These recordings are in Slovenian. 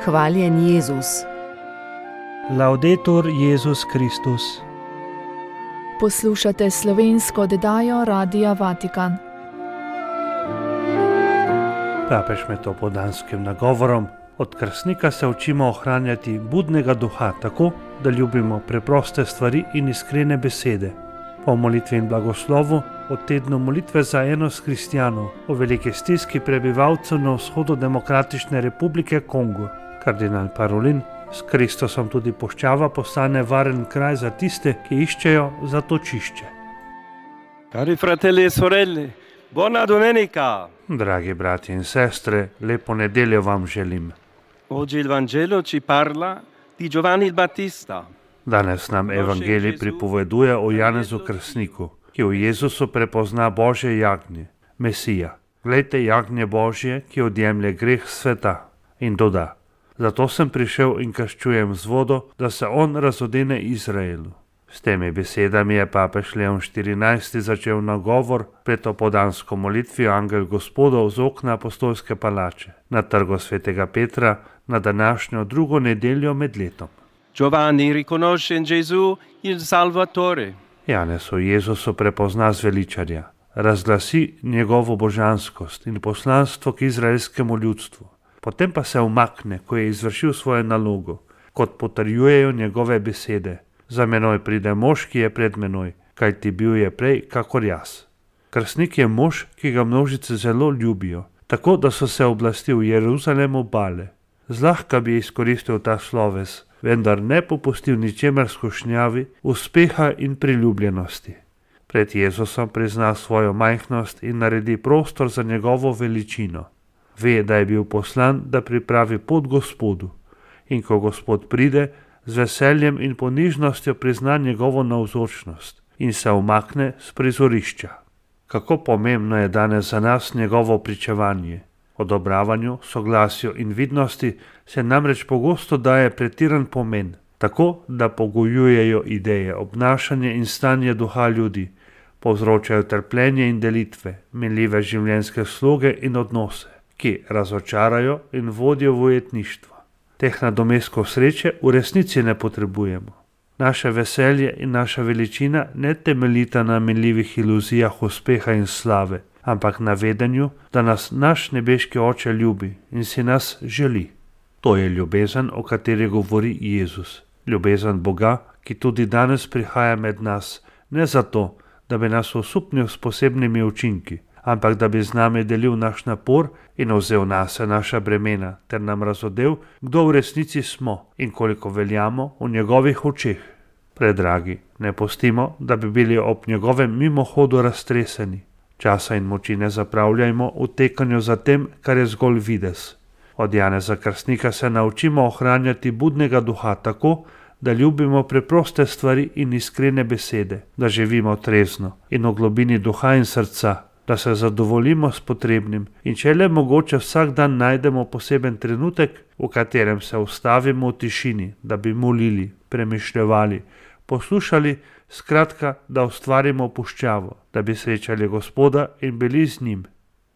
Hvaljen Jezus. Laudetur Jezus Kristus. Poslušate slovensko oddajo Radia Vatikan. Papež med opoldanskim nagovorom: od krstnika se učimo ohranjati budnega duha tako, da ljubimo preproste stvari in iskrene besede. Po molitvi in blagoslovu o tednu molitve za enost kristjanov o veliki stiski prebivalcev na vzhodu Demokratične republike Kongo. Kardinal Parolin: s Kristusom tudi puščava postane varen kraj za tiste, ki iščejo zatočišče. Cari fratelli e sorelle, buona domenica! Dragi brati in sestre, lepo nedeljo vam želim. Oggi il Vangelo ci parla di Giovanni il Battista. Danes nam evangelij pripoveduje o Janezu Krstniku, ki v Jezusu prepozna Božje jagnje, Mesija. Glejte jagnje Božje, ki odjemlje greh sveta. In doda: zato sem prišel in krščujem z vodo, da se on razodene Izraelu. S temi besedami je papež Leon XIV. Začel nagovor pred opoldansko molitvijo Angel Gospodov z okna apostolske palače na trgu svetega Petra na današnjo drugo nedeljo med letom. Giovanni riconosce in Gesù il Salvatore. Janez v Jezusu prepozna zveličarja, razglasi njegovo božanskost in poslanstvo k izraelskemu ljudstvu. Potem pa se umakne, ko je izvršil svojo nalogo, kot potrjujejo njegove besede: za menoj pride mož, ki je pred menoj, kajti bil je prej kakor jaz. Krstnik je mož, ki ga množice zelo ljubijo, tako da so se oblasti v Jeruzalemu bale. Zlahka bi izkoristil ta sloves, vendar ne popustil ničemer skušnjavi, uspeha in priljubljenosti. Pred Jezusom prizna svojo majhnost in naredi prostor za njegovo veličino. Ve, da je bil poslan, da pripravi pot Gospodu, in ko Gospod pride, z veseljem in ponižnostjo prizna njegovo navzočnost in se umakne s prizorišča. Kako pomembno je danes za nas njegovo pričevanje. Odobravanju, soglasju in vidnosti se namreč pogosto daje pretiran pomen, tako da pogojujejo ideje, obnašanje in stanje duha ljudi, povzročajo trpljenje in delitve, minljive življenjske sloge in odnose, ki razočarajo in vodijo v ujetništvo. Teh nadomestkov sreče v resnici ne potrebujemo. Naše veselje in naša veličina ne temeljita na minljivih iluzijah uspeha in slave, ampak na vedenju, da nas naš nebeški Oče ljubi in si nas želi. To je ljubezen, o kateri govori Jezus. Ljubezen Boga, ki tudi danes prihaja med nas, ne zato, da bi nas osupnil s posebnimi učinki, ampak da bi z nami delil naš napor in vzel nase naša bremena, ter nam razodel, kdo v resnici smo in koliko veljamo v njegovih očeh. Predragi, ne pustimo, da bi bili ob njegovem mimohodu raztreseni. Časa in moči ne zapravljajmo v tekanju za tem, kar je zgolj videz. Od Janeza Krstnika se naučimo ohranjati budnega duha tako, da ljubimo preproste stvari in iskrene besede, da živimo trezno in v globini duha in srca, da se zadovoljimo s potrebnim in če le mogoče vsak dan najdemo poseben trenutek, v katerem se ustavimo v tišini, da bi molili, premišljevali, poslušali, skratka, da ustvarimo puščavo, da bi srečali Gospoda in bili z njim.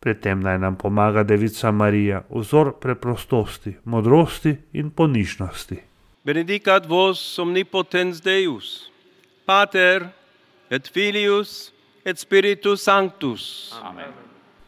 Pri tem naj nam pomaga Devica Marija, vzor preprostosti, modrosti in ponižnosti. Benedicat vos omnipotens Deus, Pater et Filius et Spiritus Sanctus. Amen.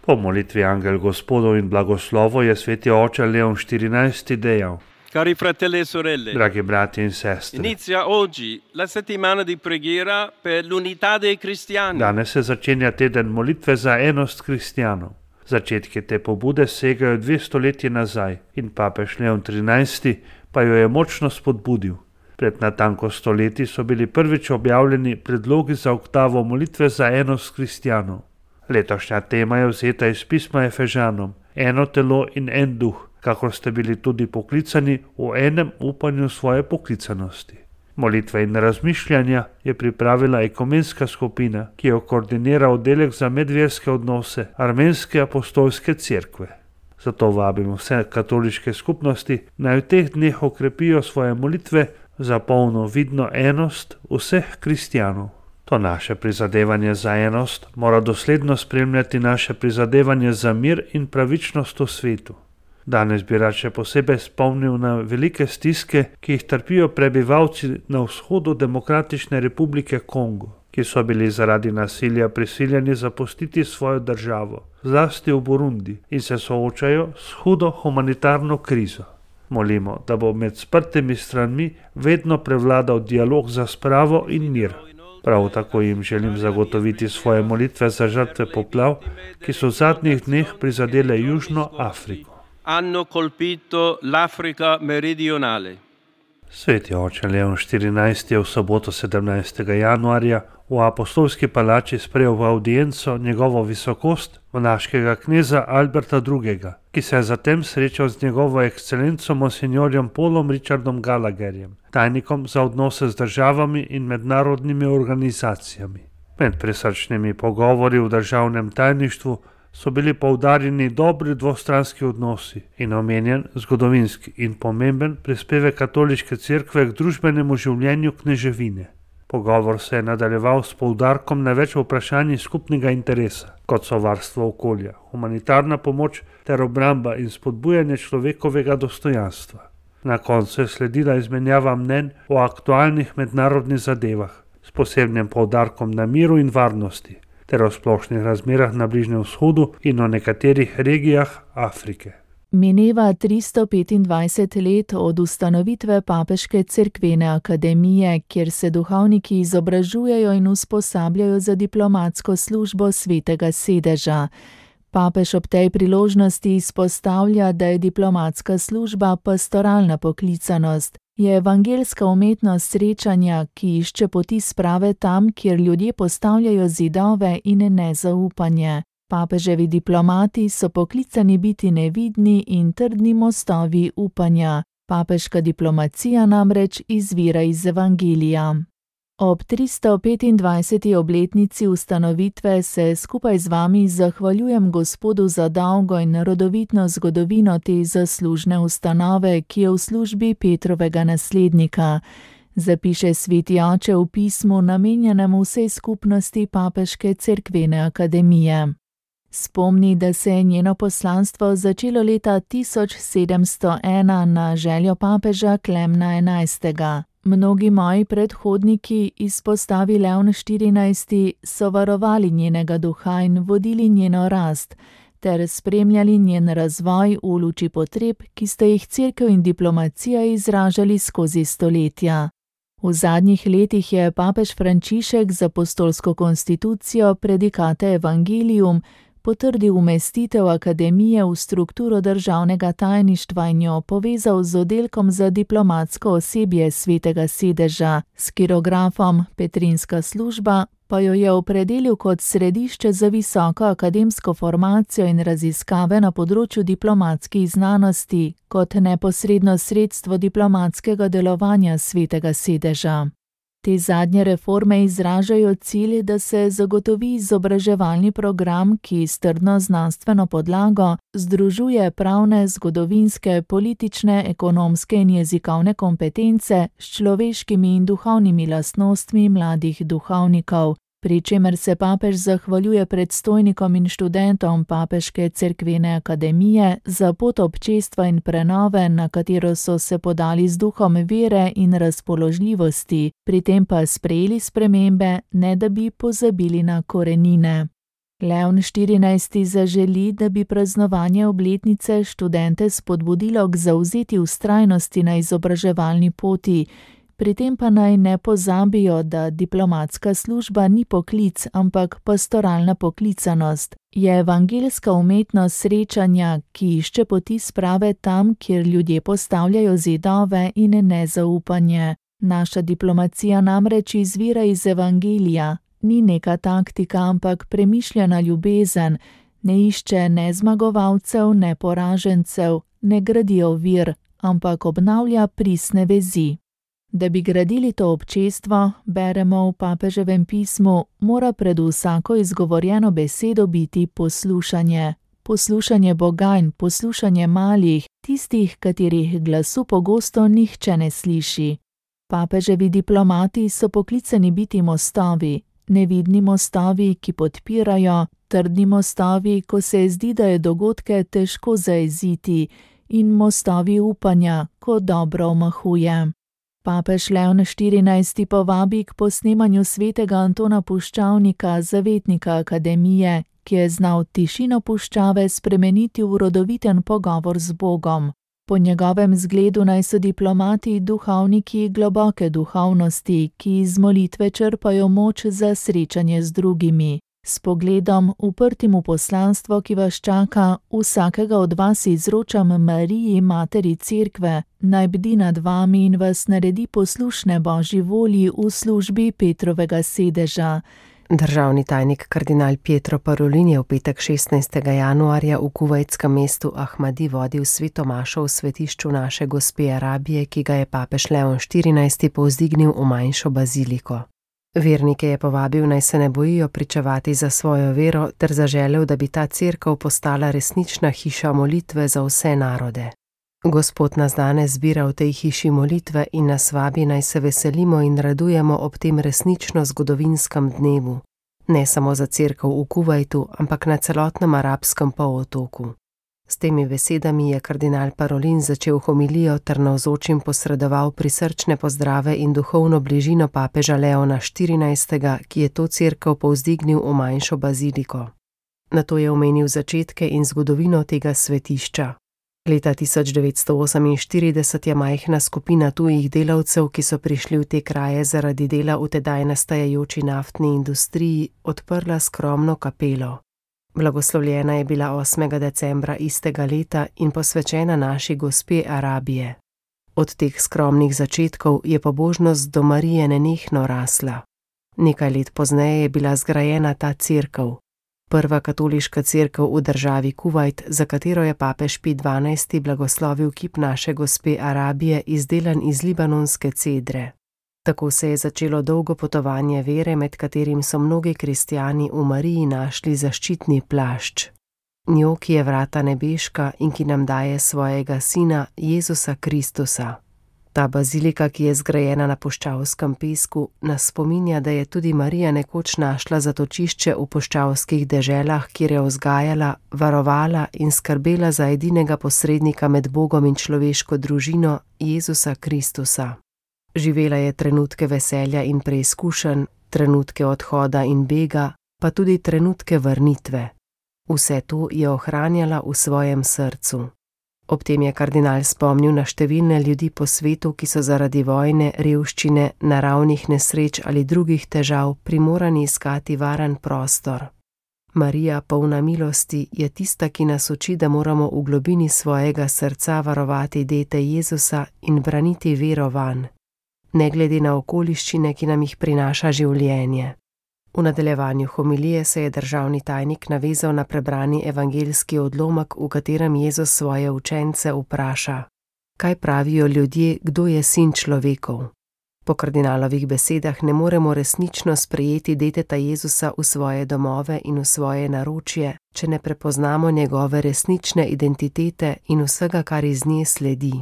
Po molitvi Angel Gospodov in blagoslovo je sveti oče Leon XIV. Dejal: Cari fratelli e sorelle, dragi brati in sestre, inizia oggi la settimana di preghiera per l'unità dei cristiani. Danes se začenja teden molitve za enost kristjanov. Začetki te pobude segajo 2 stoletji nazaj in papež Leon XIII. Pa jo je močno spodbudil. Pred natanko stoletji so bili prvič objavljeni predlogi za oktavo molitve za enost kristjanov. Letošnja tema je vzeta iz pisma Efežanom: eno telo in en duh, kakor ste bili tudi poklicani v enem upanju svoje poklicanosti. Molitve in razmišljanja je pripravila ekumenska skupina, ki jo koordinira oddelek za medverske odnose Armenske apostolske cerkve. Zato vabimo vse katoliške skupnosti, naj v teh dneh okrepijo svoje molitve za polno vidno enost vseh kristjanov. To naše prizadevanje za enost mora dosledno spremljati naše prizadevanje za mir in pravičnost v svetu. Danes bi rad še posebej spomnil na velike stiske, ki jih trpijo prebivalci na vzhodu Demokratične republike Kongo, ki so bili zaradi nasilja prisiljeni zapustiti svojo državo, zlasti v Burundi, in se soočajo s hudo humanitarno krizo. Molimo, da bo med sprtimi stranmi vedno prevladal dialog za spravo in mir. Prav tako jim želim zagotoviti svoje molitve za žrtve poplav, ki so v zadnjih dneh prizadele Južno Afriko. Hanno colpito l'Africa meridionale. Sveti oče Leon XIV je v soboto 17. januarja v Apostolski palači sprejel v audienco njegovo visokost, monaškega kneza Alberta II., ki se je zatem srečal z njegovo ekscelenco monsignorjem Paulom Richardom Gallagherjem, tajnikom za odnose z državami in mednarodnimi organizacijami. Med prisrčnimi pogovori v državnem tajništvu so bili poudarjeni dobri dvostranski odnosi in omenjen zgodovinski in pomemben prispevek katoliške cerkve k družbenemu življenju kneževine. Pogovor se je nadaljeval s poudarkom na več vprašanjih skupnega interesa, kot so varstvo okolja, humanitarna pomoč ter obramba in spodbujanje človekovega dostojanstva. Na koncu je sledila izmenjava mnenj o aktualnih mednarodnih zadevah, s posebnim poudarkom na miru in varnosti, ter o splošnih razmerah na Bližnjem vzhodu in o nekaterih regijah Afrike. Mineva 325 let od ustanovitve Papeške cerkvene akademije, kjer se duhovniki izobražujejo in usposabljajo za diplomatsko službo Svetega sedeža. Papež ob tej priložnosti izpostavlja, da je diplomatska služba pastoralna poklicanost, je evangeljska umetnost srečanja, ki išče poti sprave tam, kjer ljudje postavljajo zidove in nezaupanje. Papeževi diplomati so poklicani biti nevidni in trdni mostovi upanja. Papeška diplomacija namreč izvira iz evangelija. Ob 325. obletnici ustanovitve se skupaj z vami zahvaljujem Gospodu za dolgo in rodovitno zgodovino te zaslužne ustanove, ki je v službi Petrovega naslednika, zapiše sveti oče v pismu namenjenem vsej skupnosti Papeške cerkvene akademije. Spomni, da se je njeno poslanstvo začelo leta 1701 na željo papeža Klemna XI. Mnogi moji predhodniki, izpostavi Leon XIV., so varovali njenega duha in vodili njeno rast, ter spremljali njen razvoj v luči potreb, ki sta jih cerkev in diplomacija izražali skozi stoletja. V zadnjih letih je papež Frančišek z apostolsko konstitucijo Predikate Evangelium potrdil umestitev akademije v strukturo državnega tajništva in jo povezal z oddelkom za diplomatsko osebje Svetega sedeža, s kirografom Petrinska služba pa jo je opredelil kot središče za visoko akademsko formacijo in raziskave na področju diplomatskih znanosti, kot neposredno sredstvo diplomatskega delovanja Svetega sedeža. Te zadnje reforme izražajo cilj, da se zagotovi izobraževalni program, ki s trdno znanstveno podlago združuje pravne, zgodovinske, politične, ekonomske in jezikovne kompetence s človeškimi in duhovnimi lastnostmi mladih duhovnikov, pri čemer se papež zahvaljuje predstojnikom in študentom Papeške cerkvene akademije za pot občestva in prenove, na katero so se podali z duhom vere in razpoložljivosti, pri tem pa sprejeli spremembe, ne da bi pozabili na korenine. Leon XIV. Zaželi, da bi praznovanje obletnice študente spodbudilo k zavzeti vztrajnosti na izobraževalni poti, pri tem pa naj ne pozabijo, da diplomatska služba ni poklic, ampak pastoralna poklicanost, je evangeljska umetnost srečanja, ki išče poti sprave tam, kjer ljudje postavljajo zidove in nezaupanje. Naša diplomacija namreč izvira iz evangelija, ni neka taktika, ampak premišljena ljubezen, ne išče ne zmagovalcev, ne poražencev, ne gradi ovir, ampak obnavlja pristne vezi. Da bi gradili to občestvo, beremo v papeževem pismu, mora pred vsako izgovorjeno besedo biti poslušanje. Poslušanje Boga in poslušanje malih, tistih, katerih glasu pogosto nihče ne sliši. Papeževi diplomati so poklicani biti mostovi, nevidni mostovi, ki podpirajo, trdni mostovi, ko se zdi, da je dogodke težko zajeziti, in mostovi upanja, ko dobro omahuje. Papež Leon XIV. Povabi k posnemanju svetega Antona Puščavnika, zavetnika akademije, ki je znal tišino puščave spremeniti v rodoviten pogovor z Bogom. Po njegovem zgledu naj so diplomati duhovniki globoke duhovnosti, ki iz molitve črpajo moč za srečanje z drugimi. S pogledom, uprtim v poslanstvo, ki vas čaka, vsakega od vas izročam Mariji, materi Cerkve, naj bdi nad vami in vas naredi poslušne Božji volji v službi Petrovega sedeža. Državni tajnik kardinal Pietro Parolin je v petek 16. januarja v kuvajtskem mestu Ahmadi vodil sveto mašo v svetišču Naše gospe Arabije, ki ga je papež Leon XIV. Povzdignil v manjšo baziliko. Vernike je povabil, naj se ne bojijo pričevati za svojo vero, ter zaželel, da bi ta cerkev postala resnična hiša molitve za vse narode. Gospod nas danes zbira v tej hiši molitve in nas vabi, naj se veselimo in radujemo ob tem resnično zgodovinskem dnevu. Ne samo za cerkev v Kuvajtu, ampak na celotnem arabskem polotoku. S temi besedami je kardinal Parolin začel homilijo ter navzočim posredoval prisrčne pozdrave in duhovno bližino papeža Leona XIV., ki je to cerkev povzdignil v manjšo baziliko. Nato je omenil začetke in zgodovino tega svetišča. Leta 1948 je majhna skupina tujih delavcev, ki so prišli v te kraje zaradi dela v tedaj nastajajoči naftni industriji, odprla skromno kapelo. Blagoslovljena je bila 8. decembra istega leta in posvečena Naši gospe Arabije. Od teh skromnih začetkov je pobožnost do Marije nenehno rasla. Nekaj let pozneje je bila zgrajena ta cerkev. Prva katoliška cerkev v državi Kuvajt, za katero je papež Pij XII. Blagoslovil kip Naše gospe Arabije, izdelan iz libanonske cedre. Tako se je začelo dolgo potovanje vere, med katerim so mnogi kristjani v Mariji našli zaščitni plašč. Njo, ki je vrata nebeška in ki nam daje svojega sina, Jezusa Kristusa. Ta bazilika, ki je zgrajena na puščavskem pesku, nas spominja, da je tudi Marija nekoč našla zatočišče v puščavskih deželah, kjer je vzgajala, varovala in skrbela za edinega posrednika med Bogom in človeško družino, Jezusa Kristusa. Živela je trenutke veselja in preizkušenj, trenutke odhoda in bega, pa tudi trenutke vrnitve. Vse to je ohranjala v svojem srcu. Ob tem je kardinal spomnil na številne ljudi po svetu, ki so zaradi vojne, revščine, naravnih nesreč ali drugih težav primorani iskati varen prostor. Marija, polna milosti, je tista, ki nas uči, da moramo v globini svojega srca varovati dete Jezusa in braniti vero vanj, ne glede na okoliščine, ki nam jih prinaša življenje. V nadaljevanju homilije se je državni tajnik navezal na prebrani evangeljski odlomek, v katerem Jezus svoje učence vpraša: kaj pravijo ljudje, kdo je sin človekov? Po kardinalovih besedah ne moremo resnično sprejeti deteta Jezusa v svoje domove in v svoje naročje, če ne prepoznamo njegove resnične identitete in vsega, kar iz nje sledi.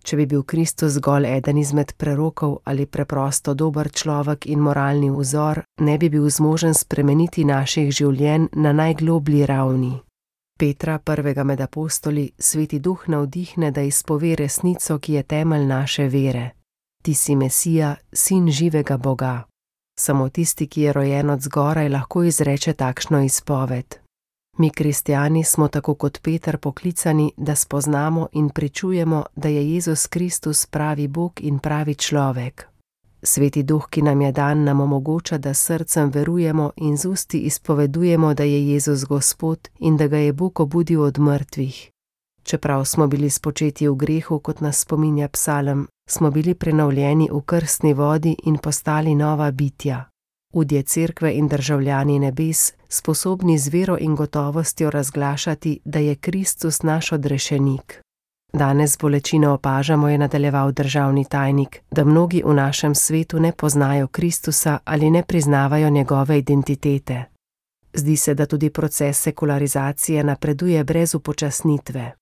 Če bi bil Kristus zgolj eden izmed prerokov ali preprosto dober človek in moralni vzor, ne bi bil zmožen spremeniti naših življenj na najgloblji ravni. Petra, prvega med apostoli, Sveti Duh navdihne, da izpove resnico, ki je temelj naše vere. Ti si Mesija, sin živega Boga. Samo tisti, ki je rojen od zgoraj, lahko izreče takšno izpoved. Mi, kristjani, smo tako kot Peter poklicani, da spoznamo in pričujemo, da je Jezus Kristus pravi Bog in pravi človek. Sveti Duh, ki nam je dan, nam omogoča, da s srcem verujemo in z usti izpovedujemo, da je Jezus Gospod in da ga je Bog obudil od mrtvih. Čeprav smo bili spočeti v grehu, kot nas spominja psalm, smo bili prenovljeni v krstni vodi in postali nova bitja. Udje cerkve in državljani nebes, sposobni z vero in gotovostjo razglašati, da je Kristus naš odrešenik. Danes bolečino opažamo, je nadaljeval državni tajnik, da mnogi v našem svetu ne poznajo Kristusa ali ne priznavajo njegove identitete. Zdi se, da tudi proces sekularizacije napreduje brez upočasnitve.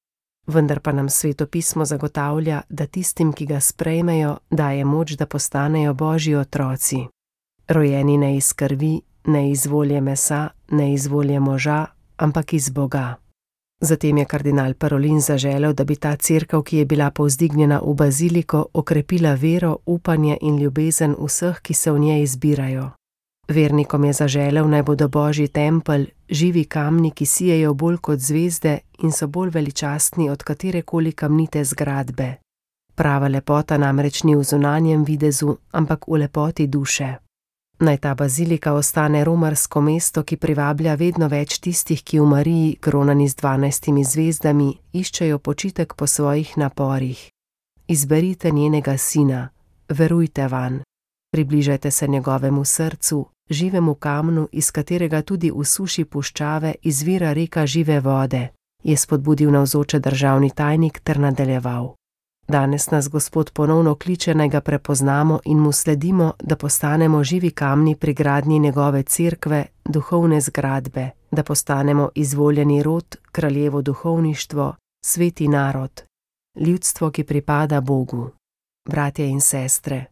Vendar pa nam Sveto pismo zagotavlja, da tistim, ki ga sprejmejo, daje moč, da postanejo Božji otroci. Rojeni ne iz krvi, ne iz volje mesa, ne iz volje moža, ampak iz Boga. Zatem je kardinal Parolin zaželel, da bi ta cerkev, ki je bila povzdignjena v baziliko, okrepila vero, upanje in ljubezen vseh, ki se v njej zbirajo. Vernikom je zaželel, naj bodo Božji tempelj, živi kamni, ki sijejo bolj kot zvezde in so bolj veličastni od katerekoli kamnite zgradbe. Prava lepota namreč ni v zunanjem videzu, ampak v lepoti duše. Naj ta bazilika ostane romarsko mesto, ki privablja vedno več tistih, ki v Mariji, kronani z 12 zvezdami, iščejo počitek po svojih naporih. Izberite njenega sina, verujte vanj, približajte se njegovemu srcu, živemu kamnu, iz katerega tudi v suši puščave izvira reka žive vode, je spodbudil navzoče državni tajnik ter nadaljeval. Danes nas Gospod ponovno kliče, naj ga prepoznamo in mu sledimo, da postanemo živi kamni pri gradnji njegove cerkve, duhovne zgradbe, da postanemo izvoljeni rod, kraljevo duhovništvo, sveti narod, ljudstvo, ki pripada Bogu. Bratje in sestre,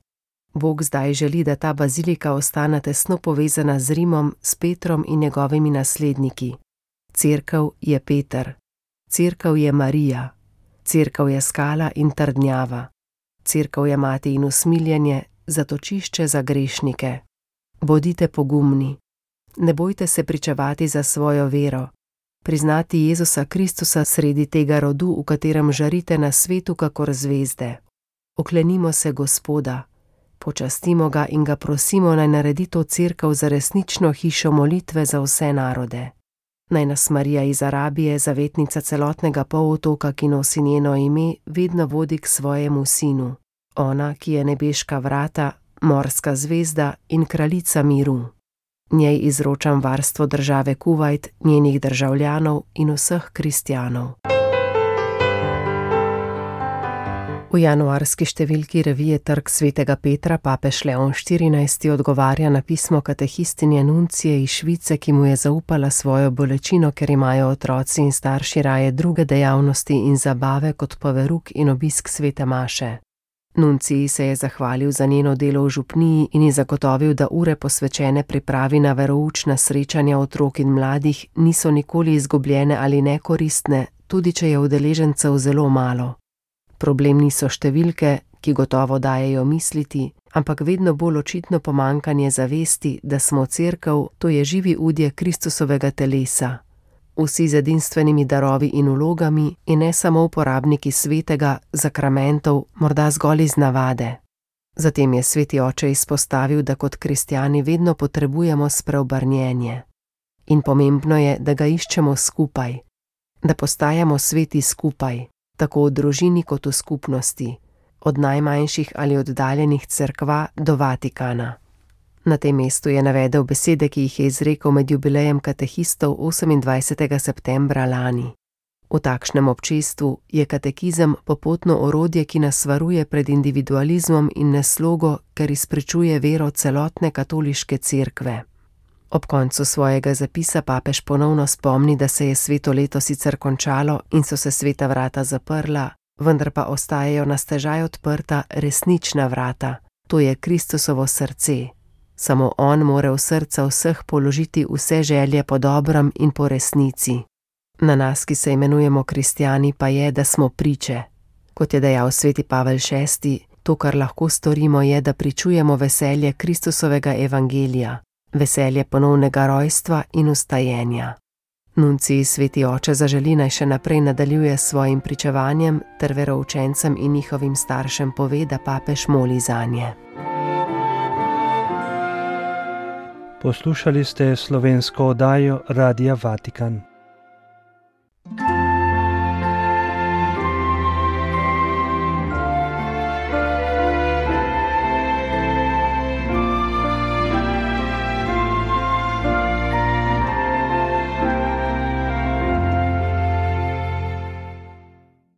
Bog zdaj želi, da ta bazilika ostane tesno povezana z Rimom, s Petrom in njegovimi nasledniki. Cerkev je Peter, cerkev je Marija, cerkev je skala in trdnjava, cerkev je mati in usmiljenje, zatočišče za grešnike. Bodite pogumni, ne bojte se pričevati za svojo vero, priznati Jezusa Kristusa sredi tega rodu, v katerem žarite na svetu kakor zvezde. Oklenimo se Gospoda, počastimo ga in ga prosimo, naj naredi to cerkev za resnično hišo molitve za vse narode. Naj nas Marija iz Arabije, zavetnica celotnega polotoka, ki nosi njeno ime, vedno vodi k svojemu sinu. Ona, ki je nebeška vrata, morska zvezda in kraljica miru. Njej izročam varstvo države Kuvajt, njenih državljanov in vseh kristjanov. V januarski številki revije Trg svetega Petra papež Leon XIV odgovarja na pismo katehistinje Nuncije iz Švice, ki mu je zaupala svojo bolečino, ker imajo otroci in starši raje druge dejavnosti in zabave kot pa verouk in obisk svete maše. Nunciji se je zahvalil za njeno delo v župniji in ji zagotovil, da ure posvečene pripravi na veroučna srečanja otrok in mladih niso nikoli izgubljene ali nekoristne, tudi če je udeležencev zelo malo. Problem niso številke, ki gotovo dajejo misliti, ampak vedno bolj očitno pomanjkanje zavesti, da smo cerkev, to je živi udje Kristusovega telesa. Vsi z edinstvenimi darovi in vlogami in ne samo uporabniki svetega, zakramentov, morda zgolj iz navade. Zatem je sveti oče izpostavil, da kot kristjani vedno potrebujemo spreobrnjenje. In pomembno je, da ga iščemo skupaj, da postajamo sveti skupaj, tako v družini kot v skupnosti, od najmanjših ali oddaljenih cerkva do Vatikana. Na tem mestu je navedel besede, ki jih je izrekel med jubilejem katehistov 28. septembra lani. V takšnem občestvu je katekizem popotno orodje, ki nas varuje pred individualizmom in neslogo, ker izpričuje vero celotne katoliške cerkve. Ob koncu svojega zapisa papež ponovno spomni, da se je sveto leto sicer končalo in so se sveta vrata zaprla, vendar pa ostajajo na stežaj odprta resnična vrata, to je Kristusovo srce. Samo on more v srca vseh položiti vse želje po dobrem in po resnici. Na nas, ki se imenujemo kristjani, pa je, da smo priče. Kot je dejal sveti Pavel VI, to, kar lahko storimo, je, da pričujemo veselje Kristusovega evangelija, veselje ponovnega rojstva in vstajenja. Nunciji sveti oče zaželi, naj še naprej nadaljuje s svojim pričevanjem ter veroučencem in njihovim staršem pove, da papež moli zanje. Poslušali ste slovensko oddajo Radia Vatikan.